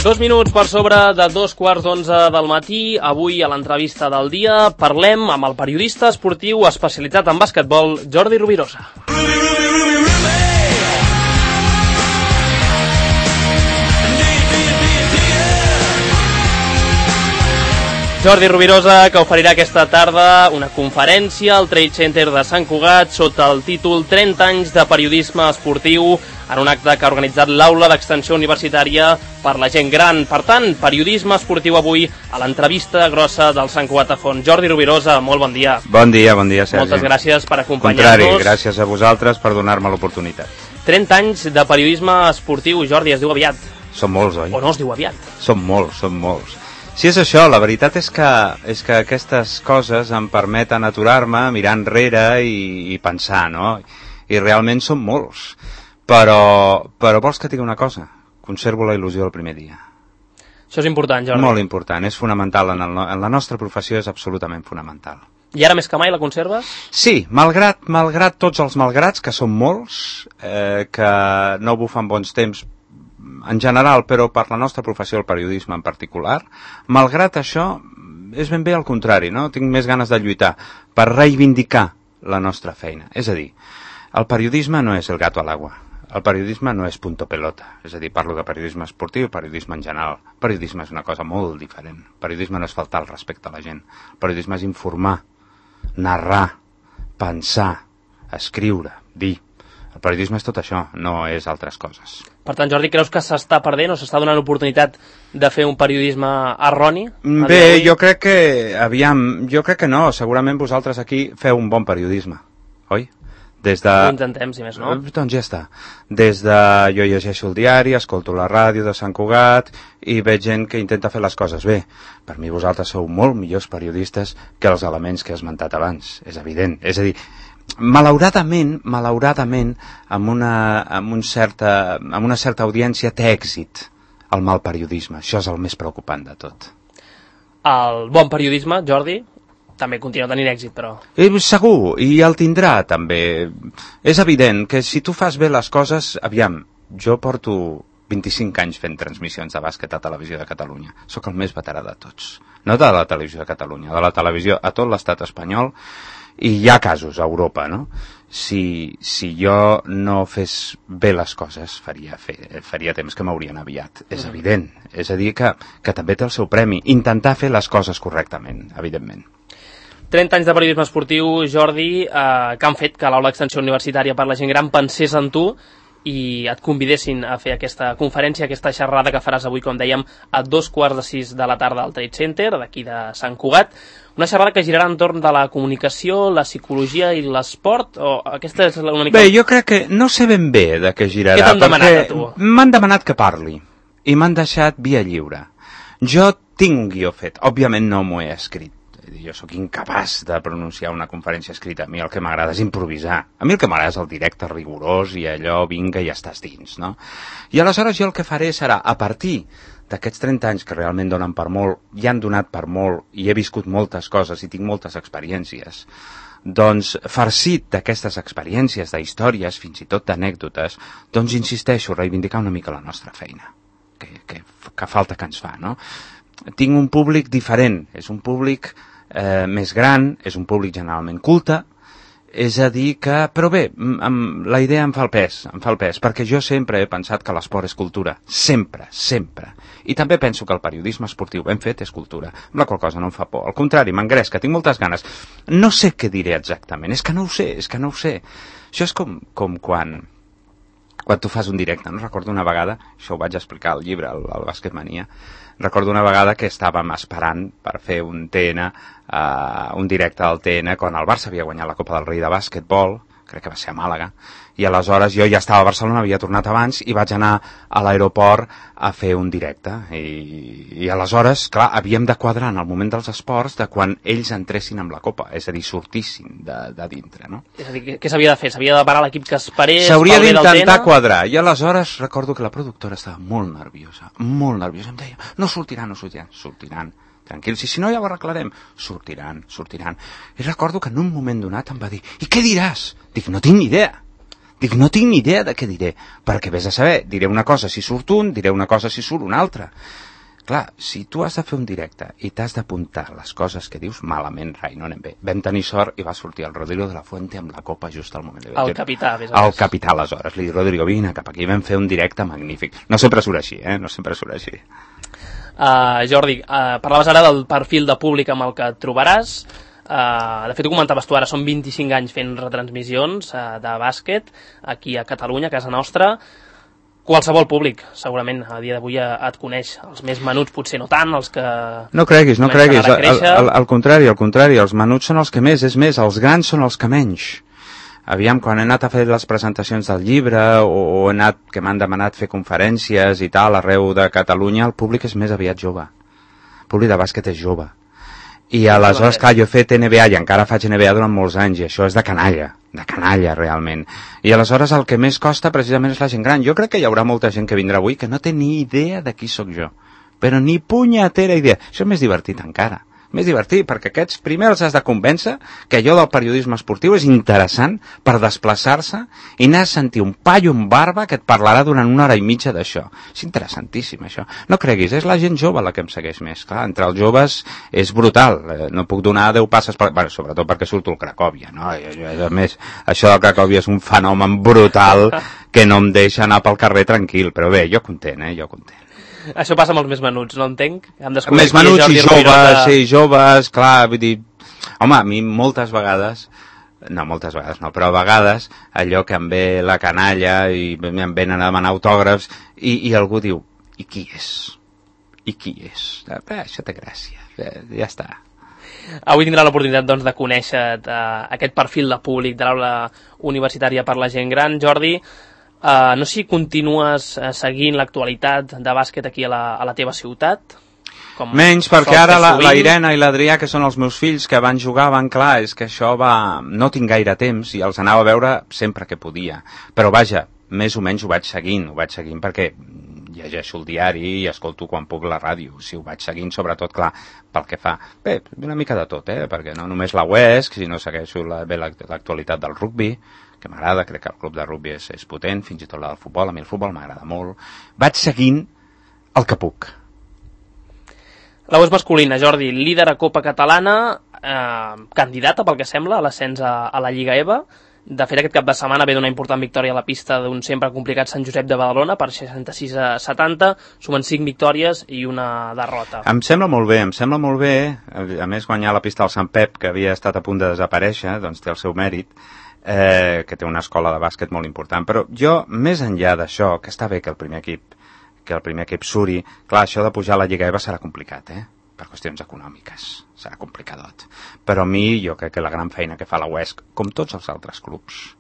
2 minuts per sobre de 2:15 del matí. Avui a l'entrevista del dia parlem amb el periodista esportiu especialitzat en basquetbol, Jordi Rovirosa. Jordi Rovirosa, que oferirà aquesta tarda una conferència al Trade Center de Sant Cugat sota el títol 30 anys de periodisme esportiu, en un acte que ha organitzat l'Aula d'Extensió Universitària per la gent gran. Per tant, periodisme esportiu avui a l'entrevista grossa del Sant Cugat a Font. Jordi Rovirosa, molt bon dia. Bon dia, Sergi. Moltes gràcies per acompanyar-nos. Contrari, gràcies a vosaltres per donar-me l'oportunitat. 30 anys de periodisme esportiu, Jordi, es diu aviat. Són molts, oi? O no es diu aviat? Són molts. Si és això, la veritat és que aquestes coses em permeten aturar-me, mirar enrere i pensar, no? I realment són molts. Però vols que et digui una cosa? Conservo la il·lusió del primer dia. Això és important, Jordi. Molt important, és fonamental. En la nostra professió és absolutament fonamental. I ara més que mai la conserves? Sí, malgrat tots els malgrats, que són molts, que no bufen bons temps en general, però per la nostra professió, el periodisme en particular, malgrat això, és ben bé al contrari, no? Tinc més ganes de lluitar per reivindicar la nostra feina. És a dir, el periodisme no és el gato a l'aigua. El periodisme no és punto pelota. És a dir, parlo de periodisme esportiu, periodisme en general. El periodisme és una cosa molt diferent. El periodisme no és faltar el respecte a la gent. El periodisme és informar, narrar, pensar, escriure, dir. El periodisme és tot això, no és altres coses. Per tant, Jordi, creus que s'està perdent o s'està donant l'oportunitat de fer un periodisme erroni? Bé, jo crec que no. Segurament vosaltres aquí feu un bon periodisme, oi? Ho intentem, si més no. Doncs ja està. Jo llegeixo el diari, escolto la ràdio de Sant Cugat i veig gent que intenta fer les coses bé. Per mi vosaltres sou molt millors periodistes que els elements que he esmentat abans. És evident. És a dir, malauradament, amb una certa audiència té èxit el mal periodisme. Això és el més preocupant de tot. El bon periodisme, Jordi, també continua tenint èxit, però... Segur, i el tindrà, també. És evident que si tu fas bé les coses... Aviam, jo porto 25 anys fent transmissions de bàsquet a Televisió de Catalunya. Sóc el més veterà de tots. No de la Televisió de Catalunya, de la televisió a tot l'estat espanyol, i hi ha casos a Europa, no? Si jo no fes bé les coses, faria temps que m'haurien aviat. És evident. És a dir, que també té el seu premi. Intentar fer les coses correctament, evidentment. 30 anys de periodisme esportiu, Jordi, que han fet que l'Aula d'Extensió Universitària per la gent gran pensés en tu i et convidessin a fer aquesta conferència, aquesta xerrada que faràs avui, com dèiem, a 5:15 de la tarda al Trade Center, d'aquí de Sant Cugat. Una xerrada que girarà entorn de la comunicació, la psicologia i l'esport, o aquesta és l'única... Bé, jo crec que no sé ben bé de què girarà. Què t'han demanat a tu? M'han demanat que parli i m'han deixat via lliure. Jo tinc un guió fet, òbviament no m'ho he escrit. Jo sóc incapaç de pronunciar una conferència escrita. A mi el que m'agrada és improvisar. A mi el que m'agrada és el directe rigorós i allò, vinga, i ja estàs dins, no? I aleshores jo el que faré serà, a partir d'aquests 30 anys que realment donen per molt, i han donat per molt, i he viscut moltes coses i tinc moltes experiències, doncs, farcit d'aquestes experiències, d'històries, fins i tot d'anècdotes, doncs insisteixo, reivindicar una mica la nostra feina, que falta que ens fa, no? Tinc un públic diferent, és un públic més gran, és un públic generalment culte, és a dir que... Però bé, la idea em fa el pes, perquè jo sempre he pensat que l'esport és cultura, sempre. I també penso que el periodisme esportiu ben fet és cultura, amb la qual cosa no em fa por. Al contrari, m'engresca, tinc moltes ganes. No sé què diré exactament, és que no ho sé. Això és com quan tu fas un directe, no? Recordo una vegada, això ho vaig explicar al llibre, al Basquetmania, recordo una vegada que estàvem esperant per fer un TN, un directe al TN, quan el Barça havia guanyat la Copa del Rei de bàsquetbol, crec que va ser a Màlaga, i aleshores jo ja estava a Barcelona, havia tornat abans, i vaig anar a l'aeroport a fer un directe. I aleshores, clar, havíem de quadrar en el moment dels esports de quan ells entressin amb la Copa, és a dir, sortissin de dintre, no? És a dir, què s'havia de fer? S'havia de parar l'equip que esperés? S'hauria d'intentar quadrar, i aleshores recordo que la productora estava molt nerviosa, em deia, no sortiran. Tranquils, i si no ja ho arreglarem. Sortiran. I recordo que en un moment donat em va dir, i què diràs? Dic, no tinc ni idea. Dic, no tinc ni idea de què diré, perquè vés a saber, diré una cosa si surt un, diré una cosa si surt una altra. Clar, si tu has de fer un directe i t'has d'apuntar les coses que dius, malament, rai, no anem bé. Vam tenir sort i va sortir el Rodrigo de la Fuente amb la copa just al moment. El capità, més o menys. El capità, aleshores. Li dic, Rodrigo, vine cap aquí, vam fer un directe magnífic. No sempre surt així, no sempre surt així. Jordi, parlaves ara del perfil de públic amb el que et trobaràs. De fet, ho comentaves tu ara, són 25 anys fent retransmissions de bàsquet aquí a Catalunya, a casa nostra. Qualsevol públic, segurament, a dia d'avui et coneix. Els més menuts potser no tant, els que... No creguis. Al contrari, els menuts són els que més, és més, els grans són els que menys. Aviam, quan he anat a fer les presentacions del llibre o he anat, que m'han demanat fer conferències i tal, arreu de Catalunya, el públic és més aviat jove. El públic de bàsquet és jove. I aleshores, clar, jo he fet NBA i encara faig NBA durant molts anys i això és de canalla realment. I aleshores el que més costa precisament és la gent gran. Jo crec que hi haurà molta gent que vindrà avui que no té ni idea de qui sóc jo, però ni punyetera idea. Això és més divertit encara. Més divertit, perquè aquests primer els has de convèncer que allò del periodisme esportiu és interessant per desplaçar-se i anar a sentir un paio amb barba que et parlarà durant 1 hora i mitja d'això. És interessantíssim, això. No creguis, és la gent jove la que em segueix més. Clar, entre els joves és brutal. No puc donar 10 passes per... Bueno, sobretot perquè surto al Cracòvia, no? A més, això del Cracòvia és un fenomen brutal que no em deixa anar pel carrer tranquil. Però bé, jo content, jo content. Això passa amb els més menuts, no entenc? Més menuts i joves, sí, joves, clar, vull dir... Home, a mi moltes vegades però a vegades allò que em ve la canalla i em venen a demanar autògrafs i algú diu, i qui és? Això té gràcia, ja està. Avui tindrà l'oportunitat doncs, de conèixer aquest perfil de públic de l'aula universitària per la gent gran, Jordi. No sé si continues seguint l'actualitat de bàsquet aquí a la teva ciutat. Menys, perquè ara la Irene i l'Adrià, que són els meus fills, que van jugar, clar, és que això va... No tinc gaire temps i els anava a veure sempre que podia. Però vaja, més o menys ho vaig seguint perquè llegeixo el diari i escolto quan puc la ràdio. Si ho vaig seguint, sobretot, clar, pel que fa... Bé, una mica de tot, perquè no només la UESC, sinó segueixo l'actualitat del rugbi, que m'agrada, crec que el club de rugbi és potent, fins i tot la del futbol, a mi el futbol m'agrada molt. Vaig seguint el que puc. La UESC masculina, Jordi, líder a Copa Catalana, candidata, pel que sembla, a l'ascens a la Lliga EVA. De fet, aquest cap de setmana ve d'una important victòria a la pista d'un sempre complicat Sant Josep de Badalona per 66-70, sumen 5 victòries i una derrota. Em sembla molt bé, a més guanyar la pista del Sant Pep, que havia estat a punt de desaparèixer, doncs té el seu mèrit, que té una escola de bàsquet molt important, però jo, més enllà d'això, que està bé que el primer equip suri, clar, això de pujar a la Lliga EVA serà complicat, per qüestions econòmiques, serà complicadot. Però a mi, jo crec que la gran feina que fa la UESC, com tots els altres clubs,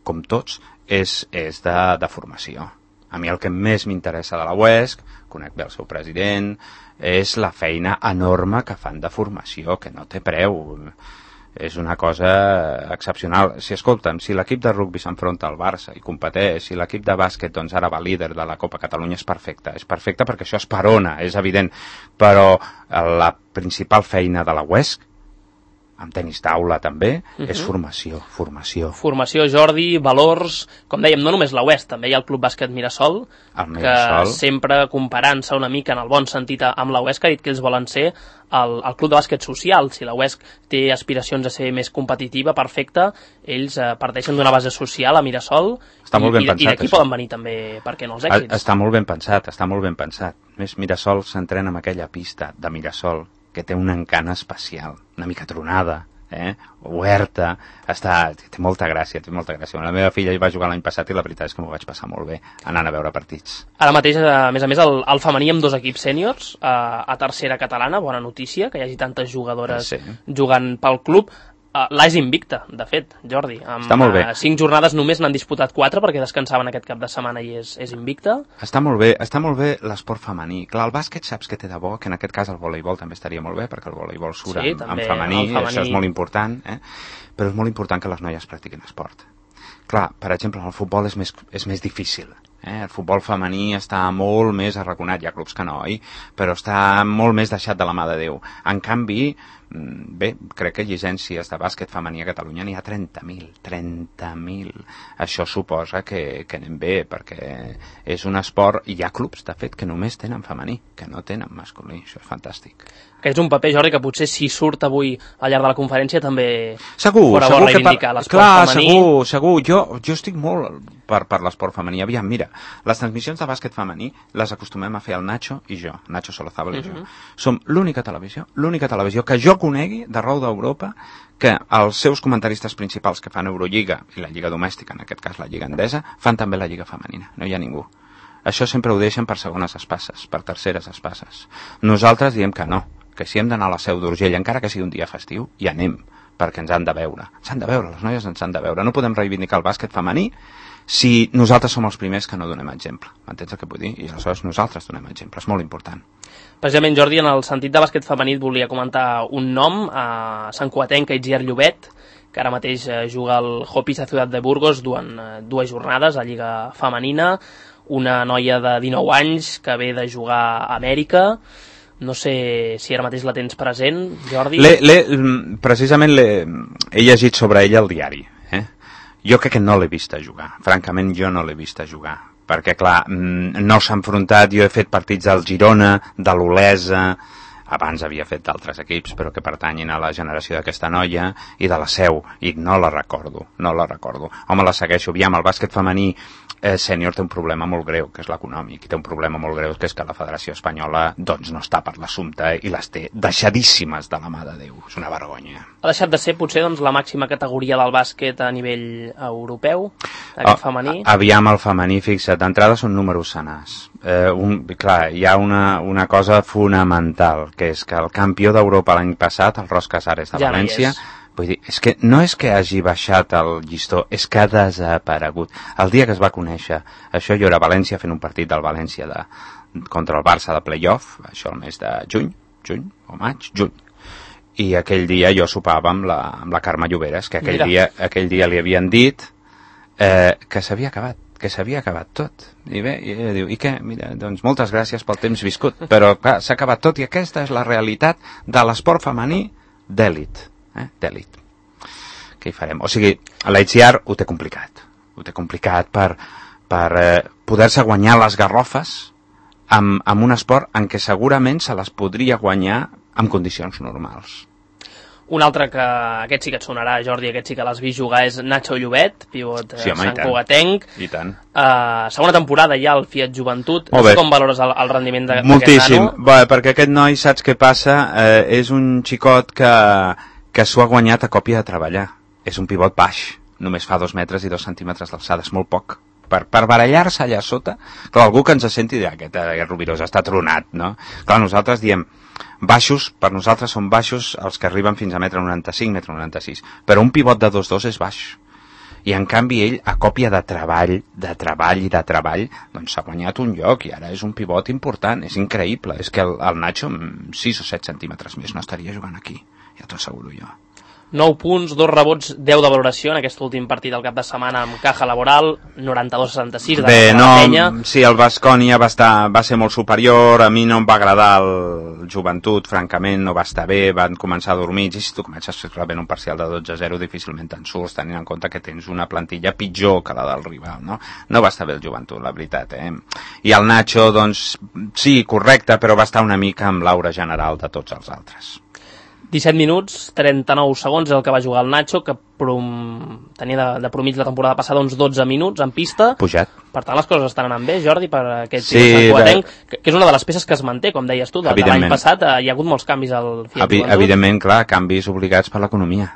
com tots, és de formació. A mi el que més m'interessa de la UESC, conec bé el seu president, és la feina enorme que fan de formació, que no té preu. És una cosa excepcional. Escolta'm, si l'equip de rugbi s'enfronta al Barça i competeix, si l'equip de bàsquet doncs ara va líder de la Copa Catalunya, és perfecte perquè això esperona, és evident, però la principal feina de la UESC, amb tenis taula també, és formació. Formació, Jordi, valors, com dèiem, no només la UESC, també hi ha el Club Bàsquet Mirasol, que sempre comparant-se una mica en el bon sentit amb la UESC, ha dit que ells volen ser el club de bàsquet social. Si la UESC té aspiracions a ser més competitiva, perfecte, ells parteixen d'una base social a Mirasol i d'aquí poden venir també, per què no, els èxits. Està molt ben pensat. Més Mirasol s'entrena en aquella pista de Mirasol que té un encant especial, una mica tronada, oberta, té molta gràcia. La meva filla hi va jugar l'any passat i la veritat és que m'ho vaig passar molt bé anant a veure partits. Ara mateix, a més, el femení amb 2 equips sèniors a tercera catalana, bona notícia, que hi hagi tantes jugadores jugant pel club. L'AS invicta, de fet, Jordi. Està molt bé. 5 jornades només n'han disputat 4 perquè descansaven aquest cap de setmana i és invicta. Està molt bé l'esport femení. Clar, el bàsquet saps que té de bo, que en aquest cas el voleibol també estaria molt bé, perquè el voleibol surt en femení, això és molt important, però és molt important que les noies practiquin esport. Clar, per exemple, el futbol és més difícil, El futbol femení està molt més arraconat, hi ha clubs que no, però està molt més deixat de la mà de Déu. En canvi, bé, crec que llicències de bàsquet femení a Catalunya n'hi ha 30.000. Això suposa que anem bé, perquè és un esport, i hi ha clubs, de fet, que només tenen femení, que no tenen masculí. Això és fantàstic. Que és un paper, Jordi, que potser si surt avui al llarg de la conferència també segur reivindicar l'esport femení. Segur. Jo estic molt per l'esport femení. Aviam, mira, les transmissions de bàsquet femení les acostumem a fer el Nacho i jo, Nacho Solozábal i jo. Som l'única televisió que jo conegui d'arreu d'Europa que els seus comentaristes principals que fan Eurolliga i la Lliga Domèstica, en aquest cas la Lliga Endesa, fan també la Lliga Femenina. No hi ha ningú. Això sempre ho deixen per segones espasses, per terceres espasses. Nosaltres diem que no, que si hem d'anar a la Seu d'Urgell, encara que sigui un dia festiu, hi anem, perquè ens han de veure. Les noies ens han de veure. No podem reivindicar el bàsquet femení si nosaltres som els primers que no donem exemple. M'entens el que vull dir? I aleshores nosaltres donem exemple. És molt important. Precisament, Jordi, en el sentit de bàsquet femení volia comentar un nom, a Sant Cugatenca Itziar Llobet, que ara mateix juga al Hopis de Ciutat de Burgos durant 2 jornades a Lliga Femenina, una noia de 19 anys que ve de jugar a Amèrica. No sé si ara mateix la tens present, Jordi. Precisament he llegit sobre ella al diari. Jo crec que no l'he vist a jugar. Francament, jo no l'he vist a jugar. Perquè, clar, no s'ha enfrontat. Jo he fet partits del Girona, de l'Olesa, abans havia fet d'altres equips, però que pertanyin a la generació d'aquesta noia, i de la Seu, i no la recordo. Home, la segueixo. Aviam, el bàsquet femení sènior té un problema molt greu, que és l'econòmic, i té un problema molt greu, que és que la Federació Espanyola doncs no està per l'assumpte i les té deixadíssimes de la mà de Déu. És una vergonya. Ha deixat de ser, potser, doncs, la màxima categoria del bàsquet a nivell europeu, aquest femení? Aviam, el femení, fixa't, d'entrada són números senars. Clar, hi ha una cosa fonamental, que és que el campió d'Europa l'any passat, el Ros Casares de València, vull dir, és que no és que hagi baixat el llistó, és que ha desaparegut. El dia que es va conèixer, això jo era a València fent un partit del València contra el Barça de playoff, això el mes de juny o maig, i aquell dia jo sopava amb la Carme Lloberes, que aquell dia li havien dit que s'havia acabat tot. I bé, i ella diu, i què? Mira, doncs moltes gràcies pel temps viscut, però clar, s'ha acabat tot, i aquesta és la realitat de l'esport femení d'èlit. D'èlit. Què hi farem? O sigui, l'Itziar ho té complicat. Ho té complicat per poder-se guanyar les garrofes amb un esport en què segurament se les podria guanyar en condicions normals. Un altre que aquest sí que et sonarà, Jordi, aquest sí que l'has vist jugar, és Nacho Llobet, pivot Sant Cugatenc. I tant. Segona temporada ja al Fiat Joventut. No sé com valores el rendiment d'aquest nano? Moltíssim, perquè aquest noi, saps què passa? És un xicot que s'ho ha guanyat a còpia de treballar. És un pivot baix, només fa 2 metres i 2 centímetres d'alçada, és molt poc. Per barallar-se allà sota, clar, algú que ens senti dirà, aquest Rubirós està tronat, no? Clar, nosaltres diem, baixos, per nosaltres són baixos els que arriben fins a 1,95 m, 1,96 m, però un pivot de 2,2 és baix. I en canvi ell, a còpia de treball, doncs s'ha guanyat un lloc i ara és un pivot important, és increïble. És que el Nacho, amb 6 o 7 centímetres més, no estaria jugant aquí, ja t'ho asseguro jo. 9 punts, 2 rebots, 10 de valoració en aquest últim partit del cap de setmana amb Caja Laboral, 92-66 de la Penya. Sí, el Baskonia va ser molt superior, a mi no em va agradar el Joventut, francament, no va estar bé, van començar dormits, i si tu comences rebent un parcial de 12-0 difícilment te'n surts, tenint en compte que tens una plantilla pitjor que la del rival, no? No va estar bé el Joventut, la veritat, I el Nacho, doncs, sí, correcte, però va estar una mica amb l'aura general de tots els altres. 17 minuts, 39 segons el que va jugar el Nacho, que tenia de promig la temporada passada uns 12 minuts en pista. Pujat. Per tant, les coses estan anant bé, Jordi, per aquest Sant Cugatenc, que és una de les peces que es manté, com deies tu, de l'any passat. Hi ha hagut molts canvis al Fiat Joventut. Evidentment, clar, canvis obligats per l'economia.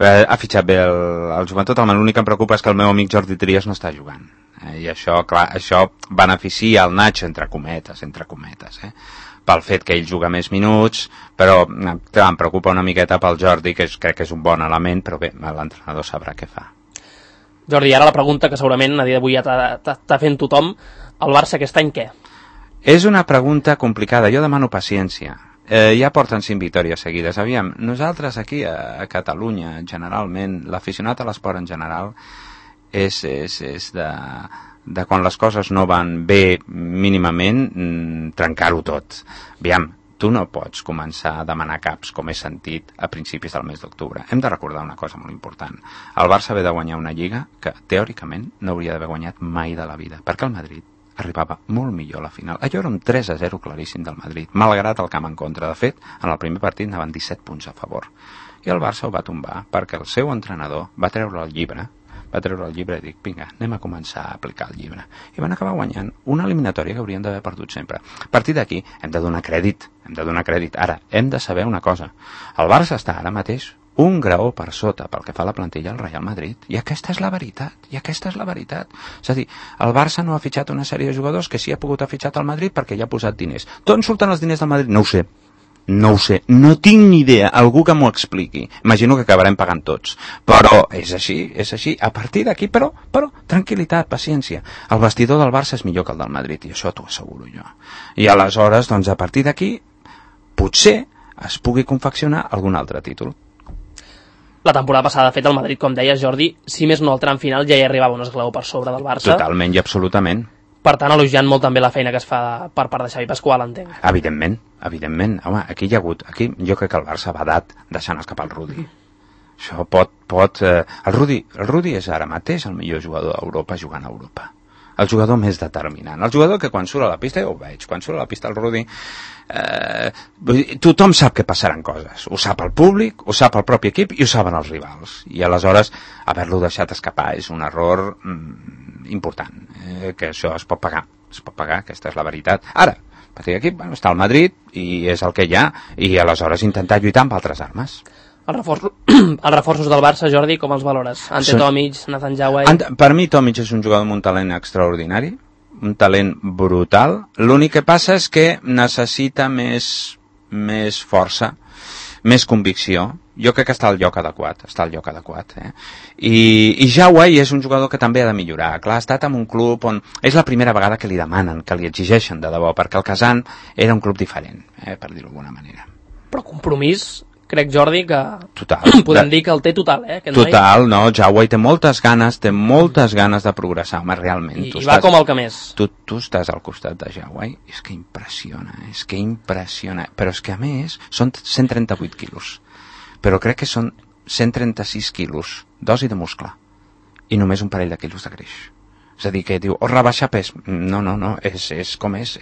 Ha fitxat bé el Joventut, l'únic que em preocupa és que el meu amic Jordi Trias no està jugant. I això, clar, això beneficia el Nacho, entre cometes, pel fet que ell juga més minuts, però clar, em preocupa una miqueta pel Jordi, que crec que és un bon element, però bé, l'entrenador sabrà què fa. Jordi, ara la pregunta que segurament a dia d'avui ja t'ha fent tothom, el Barça aquest any què? És una pregunta complicada, jo demano paciència. Ja porten 5 victòries seguides. Aviam, nosaltres aquí a Catalunya, generalment, l'aficionat a l'esport en general, és de quan les coses no van bé mínimament, trencar-ho tot. Aviam, tu no pots començar a demanar caps, com he sentit, a principis del mes d'octubre. Hem de recordar una cosa molt important. El Barça ve de guanyar una lliga que, teòricament, no hauria d'haver guanyat mai de la vida, perquè el Madrid arribava molt millor a la final. Allò era un 3-0 claríssim del Madrid, malgrat el camp en contra. De fet, en el primer partit anaven 17 punts a favor. I el Barça ho va tombar perquè el seu entrenador va treure el llibre i dic, vinga, anem a començar a aplicar el llibre. I van acabar guanyant una eliminatòria que haurien d'haver perdut sempre. A partir d'aquí hem de donar crèdit. Ara, hem de saber una cosa. El Barça està ara mateix un graó per sota pel que fa a la plantilla al Real Madrid. I aquesta és la veritat. És a dir, el Barça no ha fitxat una sèrie de jugadors que sí ha pogut ha fitxat al Madrid perquè hi ha posat diners. D'on surten els diners del Madrid? No ho sé, no tinc ni idea, algú que m'ho expliqui. Imagino que acabarem pagant tots, però és així. A partir d'aquí, però, tranquil·litat, paciència. El vestidor del Barça és millor que el del Madrid, i això t'ho asseguro jo. I aleshores, doncs, a partir d'aquí, potser es pugui confeccionar algun altre títol. La temporada passada, de fet, el Madrid, com deia Jordi, si més no al tram final ja hi arribava un esglaó per sobre del Barça. Totalment i absolutament. Per tant, elogiant molt també la feina que es fa per part de Xavi Pasqual, entenc. Evidentment. Home, aquí hi ha hagut... Aquí jo crec que el Barça va dat deixant escapar el Rudi. Això pot... El Rudi és ara mateix el millor jugador d'Europa jugant a Europa. El jugador més determinant. El jugador que quan surt a la pista, jo ho veig, quan surt a la pista el Rudi... tothom sap que passaran coses. Ho sap el públic, ho sap el propi equip i ho saben els rivals. I aleshores, haver-lo deixat escapar és un error important. Que això es pot pagar, aquesta és la veritat. Ara, a partir d'aquí està el Madrid i és el que hi ha, i aleshores intentar lluitar amb altres armes. Els reforços del Barça, Jordi, com els valores? Ante Tomic, Nathan Jauai... Per mi Tomic és un jugador amb un talent extraordinari, un talent brutal. L'únic que passa és que necessita més força, més convicció. Jo crec que està al lloc adequat, I Jauai és un jugador que també ha de millorar. Clar, ha estat en un club on és la primera vegada que li demanen, que li exigeixen de debò, perquè el Kazan era un club diferent, per dir-ho d'alguna manera. Però compromís, crec, Jordi, que total, podem dir que el té total, total, no, Jauai té moltes ganes de progressar, home, realment. I va com el que més. Tu estàs al costat de Jauai, és que impressiona, però és que a més són 138 quilos. Però crec que són 136 quilos d'os i de muscle i només un parell de quilos de greix. És a dir, que diu, rebaixar pes. No, és com és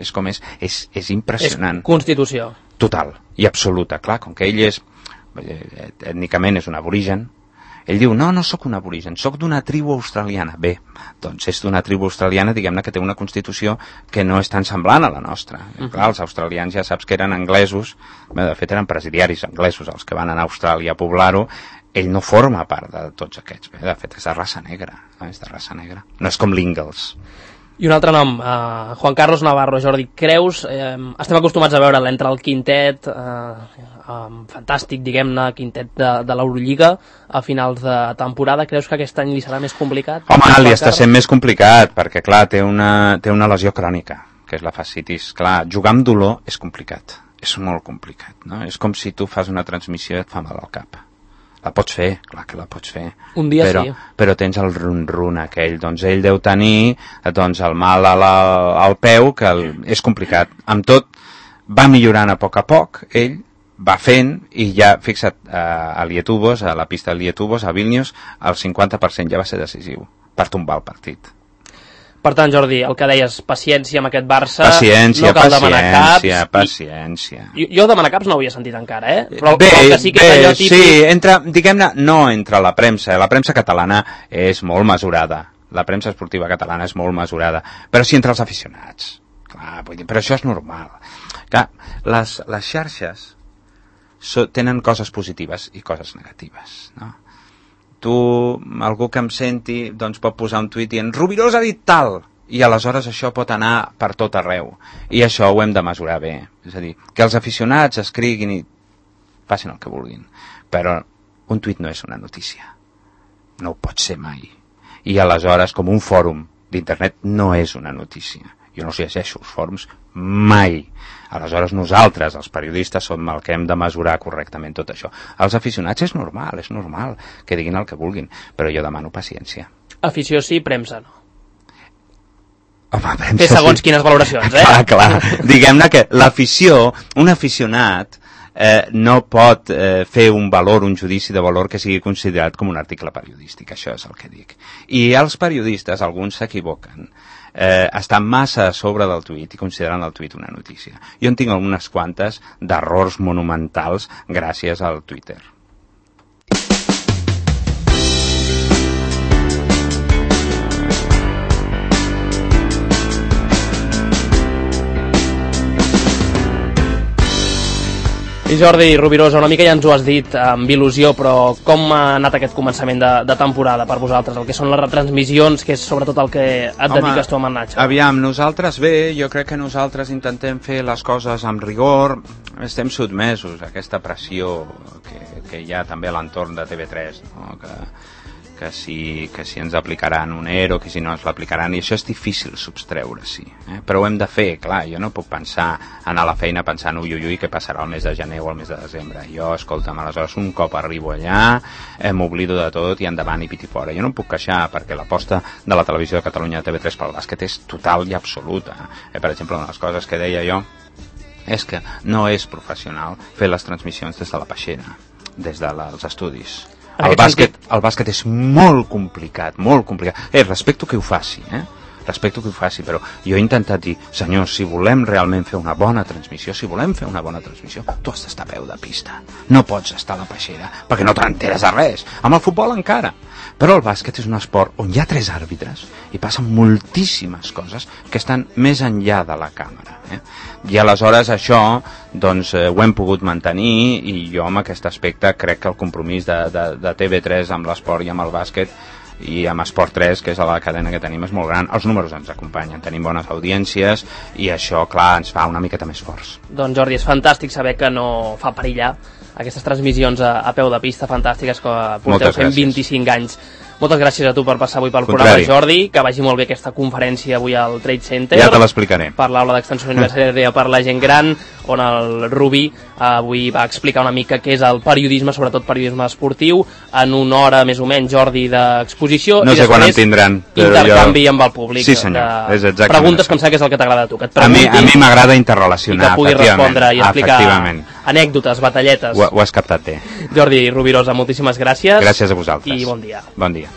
impressionant. És constitució. Total i absoluta. Clar, com que ell és ètnicament és un aborigen, ell diu, no sóc un aborigen, sóc d'una tribu australiana. Bé, doncs és d'una tribu australiana, diguem-ne, que té una constitució que no és tan semblant a la nostra. Clar, els australians ja saps que eren anglesos, de fet eren presidiaris anglesos els que van anar a Austràlia a poblar-ho. Ell no forma part de tots aquests. Bé, de fet, és de raça negra. No és com l'Ingalls. I un altre nom, Juan Carlos Navarro. Jordi, creus, estem acostumats a veure'l entre el quintet fantàstic, diguem-ne, quintet de l'Eurolliga a finals de temporada. Creus que aquest any li serà més complicat? Home, li està sent més complicat, perquè clar, té una lesió crònica, que és la fascitis. Clar, jugar amb dolor és complicat, és molt complicat, no? És com si tu fas una transmissió i et fa mal al cap. La pots fer, clar que la pots fer. Un dia sí. Però tens el run-run aquell. Doncs ell deu tenir el mal al peu, que és complicat. Amb tot, va millorant a poc, ell va fent, i ja, fixa't, a Lietuvos, a la pista de Lietuvos, a Vilnius, el 50% ja va ser decisiu per tombar el partit. Per tant, Jordi, el que deies, paciència amb aquest Barça, no cal demanar caps. Paciència. Jo demanar caps no ho havia sentit encara, Però bé, que sí que és allò típic... Sí, diguem-ne, no entre la premsa. La premsa catalana és molt mesurada. La premsa esportiva catalana és molt mesurada. Però sí entre els aficionats. Clar, vull dir, però això és normal. Clar, les xarxes tenen coses positives i coses negatives, no? Algú que em senti, doncs pot posar un tuit dient Rubirós ha dit tal, i aleshores això pot anar per tot arreu, i això ho hem de mesurar bé. És a dir, que els aficionats escriguin i facin el que vulguin, però un tuit no és una notícia, no ho pot ser mai, i aleshores com un fòrum d'internet no és una notícia. Jo no llegeixo els fòrums mai. Aleshores nosaltres, els periodistes, som el que hem de mesurar correctament tot això. Els aficionats és normal que diguin el que vulguin, però jo demano paciència. Afició sí, premsa no. Home, premsa Té segons quines valoracions, Clar. Diguem-ne que l'afició, un aficionat, no pot fer un judici de valor que sigui considerat com un article periodístic, això és el que dic. I els periodistes, alguns s'equivoquen, estan massa a sobre del tuit i consideren el tuit una notícia. Jo en tinc algunes quantes d'errors monumentals gràcies al Twitter. I Jordi Rovirosa, una mica ja ens ho has dit amb il·lusió, però com ha anat aquest començament de temporada per vosaltres? El que són les retransmissions, que és sobretot el que et dediques tu amb el Nacho. Aviam, nosaltres jo crec que nosaltres intentem fer les coses amb rigor, estem sotmesos a aquesta pressió que hi ha també a l'entorn de TV3, no? que si ens aplicaran un ERO, que si no ens l'aplicaran, i això és difícil substreure-s'hi, però ho hem de fer, clar, jo no puc anar a la feina pensant ui, què passarà el mes de gener o el mes de desembre. Jo, escolta'm, aleshores un cop arribo allà, m'oblido de tot i endavant i piti fora. Jo no em puc queixar perquè l'aposta de la televisió de Catalunya de TV3 pel bàsquet és total i absoluta. Per exemple, una de les coses que deia jo és que no és professional fer les transmissions des de la peixera, des dels estudis. El bàsquet és molt complicat, molt complicat. Respecto que ho faci, però jo he intentat dir, senyors, si volem realment fer una bona transmissió, tu has d'estar a peu de pista. No pots estar a la peixera, perquè no t'enteres de res. Amb el futbol encara. Però el bàsquet és un esport on hi ha 3 àrbitres i passen moltíssimes coses que estan més enllà de la càmera. I aleshores això doncs, ho hem pogut mantenir, i jo amb aquest aspecte crec que el compromís de TV3 amb l'esport i amb el bàsquet i amb Esport 3, que és la cadena que tenim, és molt gran. Els números ens acompanyen, tenim bones audiències i això, clar, ens fa una miqueta més forts. Doncs Jordi, és fantàstic saber que no fa perillar aquestes transmissions a peu de pista fantàstiques que porteu fent 25 anys. Moltes gràcies a tu per passar avui pel programa, Jordi, que vagi molt bé aquesta conferència avui al Trade Center. Ja te l'explicaré. Per l'aula d'extensió universitària per la gent gran, on el Rubí avui va explicar una mica què és el periodisme, sobretot periodisme esportiu, en una hora més o menys, Jordi, d'exposició. No sé quan en tindran. Intercanvi amb el públic. Sí, senyor, és exactament. Preguntes que em sembla que és el que t'agrada a tu. A mi m'agrada interrelacionar, i que puguis respondre i explicar anècdotes, batalletes. Ho has captat bé. Jordi Rovirosa, moltíssimes gràcies. Gràcies a vosaltres. I bon dia. Bon dia.